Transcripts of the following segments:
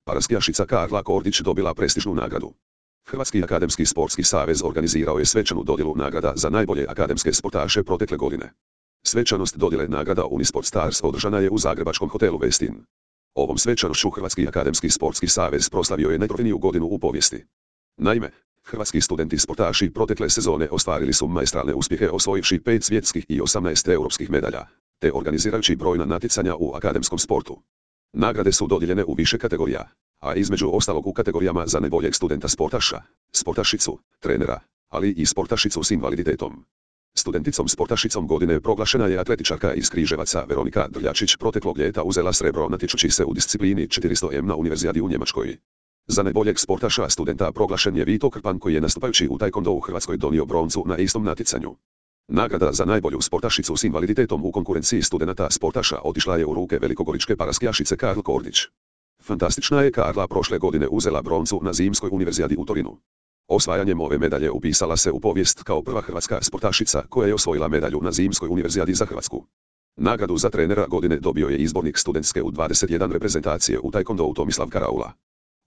paraskijašica Karla Kordić dobila prestižnu nagradu. Hrvatski akademski sportski savez organizirao je svečanu dodjelu nagrada za najbolje akademske sportaše protekle godine. Svečanost dodjele nagrada Unisport Stars održana je u zagrebačkom hotelu Westin. Ovom svečanošću Hrvatski akademski sportski savez proslavio je najtrofejniju godinu u povijesti. Naime, hrvatski studenti sportaši protekle sezone ostvarili su maestralne uspjehe osvojivši 5 svjetskih i 18 europskih medalja, te organizirajući brojna natjecanja u akademskom sportu. Nagrade su dodijeljene u više kategorija, a između ostalog u kategorijama za najboljeg studenta sportaša, sportašicu, trenera, ali i sportašicu s invaliditetom. Studenticom sportašicom godine proglašena je atletičarka iz Križevaca Veronika Drljačić, proteklog ljeta uzela srebro natječući se u disciplini 400 m na Univerzijadi u Njemačkoj. Za najboljeg sportaša studenta proglašen je Vito Krpan koji je nastupajući u taekwondo u Hrvatskoj donio broncu na istom natjecanju. Nagrada za najbolju sportašicu s invaliditetom u konkurenciji studenata sportaša otišla je u ruke velikogoričke paraskijašice Karl Kordić. Fantastična je Karla prošle godine uzela broncu na Zimskoj univerzijadi u Torinu. Osvajanjem ove medalje upisala se u povijest kao prva hrvatska sportašica koja je osvojila medalju na Zimskoj univerzijadi za Hrvatsku. Nagradu za trenera godine dobio je izbornik studentske U21 reprezentacije u taekwondo Tomislav Karaula.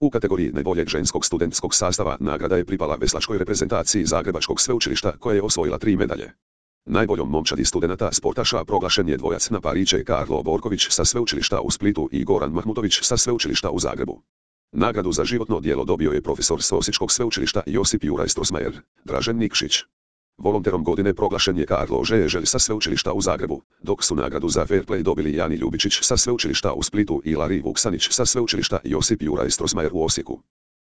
U kategoriji najboljeg ženskog studentskog sastava nagrada je pripala veslačkoj reprezentaciji Zagrebačkog sveučilišta koja je osvojila 3 medalje. Najboljom momčadi studenata sportaša proglašen je dvojac na pariće Karlo Borković sa sveučilišta u Splitu i Goran Mahmutović sa sveučilišta u Zagrebu. Nagradu za životno djelo dobio je profesor s Osječkog sveučilišta Josip Juraj Strossmayer, Dražen Nikšić. Volonterom godine proglašen je Karlo Žeželj sa sveučilišta u Zagrebu, dok su nagradu za fair play dobili Jani Ljubičić sa sveučilišta u Splitu i Lari Vuksanić sa sveučilišta Josip Juraj Strossmayer u Osijeku.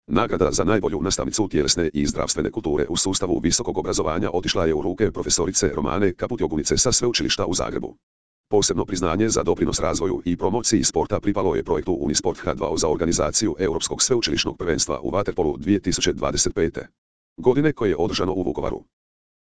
Nagrada za najbolju nastavnicu tjelesne i zdravstvene kulture u sustavu visokog obrazovanja otišla je u ruke profesorice Romane Kaputjogunice sa sveučilišta u Zagrebu. Posebno priznanje za doprinos razvoju i promociji sporta pripalo je projektu Unisport H2O za organizaciju Europskog sveučilišnog prvenstva u vaterpolu 2025. godine koje je održano u Vukovaru.